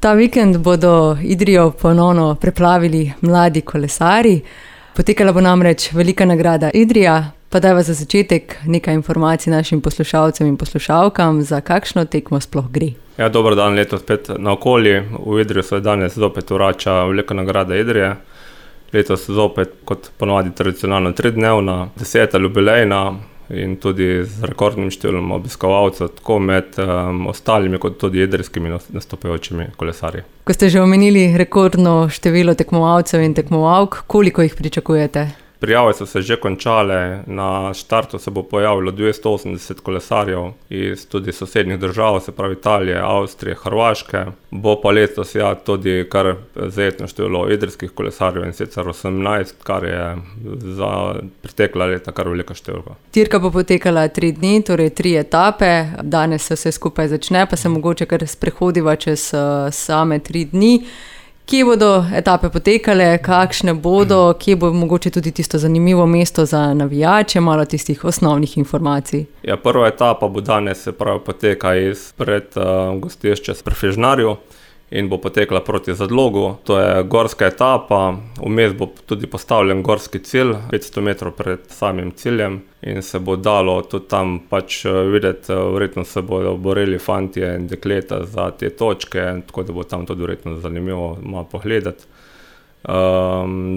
Ta vikend bodo Idrijo ponovno preplavili mladi kolesarji. Potekala bo namreč velika nagrada Idrija, pa dajva za začetek nekaj informacij našim poslušalcem in poslušalkam, za kakšno tekmo sploh gre. Ja, dober dan, letos spet naokoli. V Idriju se danes zopet vrača velika nagrada Idrije. Letos zopet, kot ponovadi tradicionalno 3-dnevna, 10. jubilejna in tudi z rekordnim številom obiskovalcev, tako med ostalimi kot tudi idrijskimi nastopajočimi kolesarji. Ko ste že omenili rekordno število tekmovalcev in tekmovalk, koliko jih pričakujete? Prijave so se že končale, na štartu se bo pojavilo 280 kolesarjev iz tudi sosednjih držav, se pravi Italije, Avstrije, Hrvaške. Bo pa letos tudi kar zajetno število idrijskih kolesarjev, in sicer 18, kar je za pretekla leta kar velika številka. Dirka bo potekala 3 dni, torej 3 etape. Danes se vse skupaj začne, pa se mogoče kar sprehodiva čez same 3 dni. Kje bodo etape potekale, kakšne bodo, kje bo mogoče tudi tisto zanimivo mesto za navijače, malo tistih osnovnih informacij? Ja, prva etapa bo danes, se pravi, poteka izpred gostišča s Prefežnarju in bo potekla proti Zadlogu. To je gorska etapa, vmes bo tudi postavljen gorski cilj, 500 metrov pred samim ciljem, in se bo dalo tudi tam pač videti, verjetno se bodo borili fantje in dekleta za te točke, tako da bo tam tudi verjetno zanimivo malo pogledati.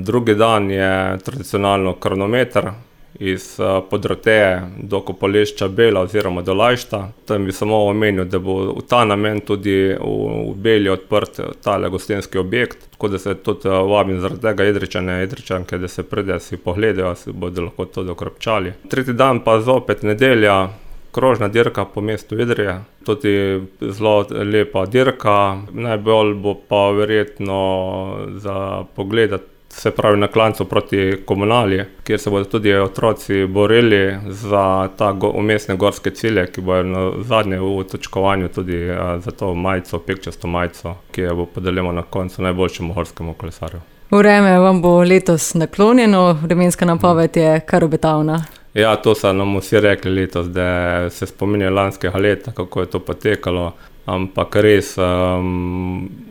Drugi dan je tradicionalno kronometer iz Podroteje do kopališča Bela oziroma do Lajšta. Tam bi samo omenil, da bo v ta namen tudi v Beli odprt tale gostinski objekt, tako da se tudi vabim zaradi tega Idrijčanke, da se pride si pogledajo, si bodo lahko tudi okropčali. Tretji dan pa zopet nedelja, krožna dirka po mestu Idrije, tudi zelo lepa dirka. Najbolj bo pa verjetno za pogledati, se pravi na klancu proti Komunali, kjer se bodo tudi otroci borili za ta umestne gorske cilje, ki bojo na zadnje v točkovanju tudi za to majico, pekčasto majico, ki jo bo podeljeno na koncu najboljšemu gorskemu kolesarju. Vreme vam bo letos naklonjeno, vremenska napoved je kar obetavna. Ja, to so nam vsi rekli letos, da se spominjajo lanskega leta, kako je to potekalo, ampak res,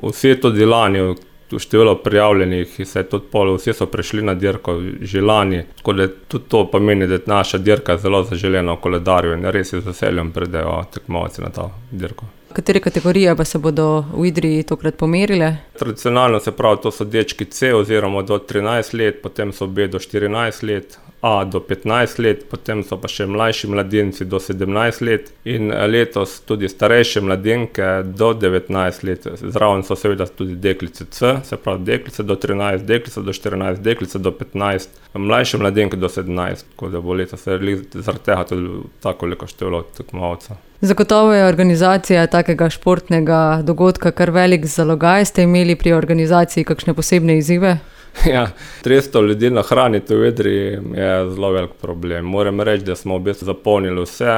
vsi tudi lani, število prijavljenih, vsi so prišli na dirko že lani, tako da tudi to pomeni, da je naša dirka zelo zaželena v koledarju in res z veseljem pridejo tekmovalci na ta dirko. Katere kategorije pa se bodo v Idriji tokrat pomerile? Tradicionalno, se pravi, to so dečki C oziroma do 13 let, potem so B do 14 let, A do 15 let, potem so pa še mlajši mladinci do 17 let in letos tudi starejše mladinke do 19 let. Zraven so seveda tudi deklice C, se pravi deklice do 13, deklice do 14, deklice do 15, mlajše mladinke do 17, tako da bo letos zaradi tega tudi tako veliko število tekmovalcev. Zagotovo je organizacija takega športnega dogodka kar velik zalogaj. Ste imeli pri organizaciji kakšne posebne izzive? Ja, 300 ljudi nahraniti v Idriji je zelo velik problem. Moram reči, da smo v bistvu zapolnili vse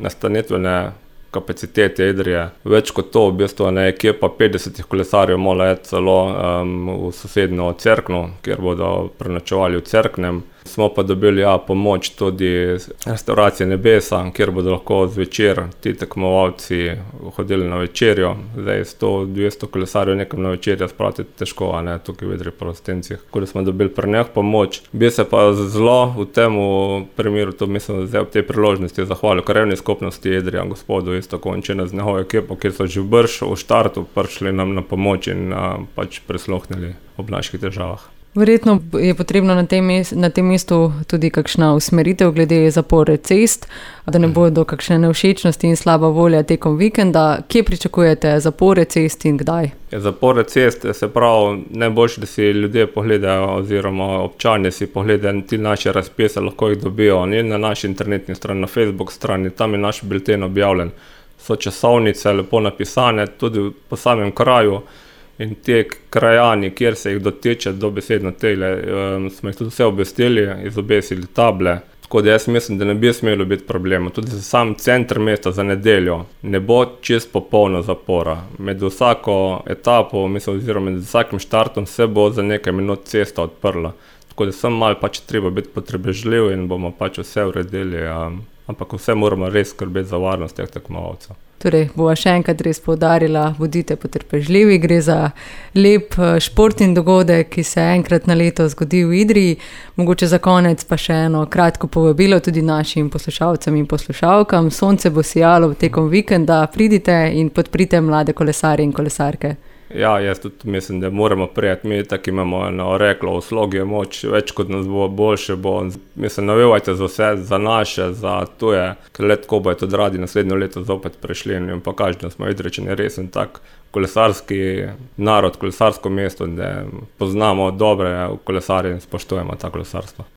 nastanitvene kapacitete Idrije. Več kot to, v bistvu je ekipa 50 kolesarjev morala iti celo v sosednjo Cerkno, kjer bodo prenočevali v Cerknem. Smo pa dobili pomoč tudi restauracije Nebesa, kjer bodo lahko zvečer ti tekmovalci hodili na večerjo. Zdaj 100-200 kolesarjev nekam na večerjo spraviti težko, tukaj v Idriji po Rostencih. Tako da smo dobili pri njih pomoč. Bi se pa zelo v tem primeru, to mislim, zdaj ob tej priložnosti zahvalil krajevni skupnosti Idrija, gospodu Končina z njegovo ekipo, kjer so že v štartu prišli nam na pomoč in pač prisluhnili ob naših težavah. Verjetno je potrebno na tem mestu tudi kakšna usmeritev glede zapore cest, da ne bodo kakšne nevšečnosti in slaba volja tekom vikenda. Kje pričakujete zapore cest in kdaj? Zapore cest, se pravi, najboljše, da si ljudje pogledajo oziroma občani si pogledajo ti naše razpise, lahko jih dobijo na naši internetni strani, na Facebook strani, tam je naš bilten objavljen. So časovnice lepo napisane tudi po samem kraju. In te krajani, kjer se jih dotiče dobesedno tele, smo jih tudi vse obvestili, izobesili table. Tako da jaz mislim, da ne bi smelo biti problema. Tudi za sam center mesta za nedeljo ne bo čist popolna zapora. Med vsako etapo, oziroma med vsakim štartom se bo za nekaj minut cesta odprla. Tako da sem malo pač treba biti potrebežljiv in bomo pač vse uredili ampak vse moramo res skrbeti za varnost teh tekmovalcev. Torej, bova še enkrat res poudarila, bodite potrpežljivi, gre za lep športni dogodek, ki se enkrat na leto zgodi v Idriji. Mogoče za konec pa še eno kratko povabilo tudi našim poslušalcem in poslušalkam. Sonce bo sijalo tekom vikenda, pridite in podprite mlade kolesarje in kolesarke. Ja, jaz tudi mislim, da moramo prijeti. Mi tako imamo eno reklo, v slogi je moč, več kot nas bo, boljše bo. Mislim, navivajte za vse, za naše, za tuje, ker le tako bojo tudi radi naslednjo leto zopet prišli in pokažite, da smo Idrijčani resen tak kolesarski narod, kolesarsko mesto, da poznamo dobre kolesarje in spoštujemo ta kolesarstvo.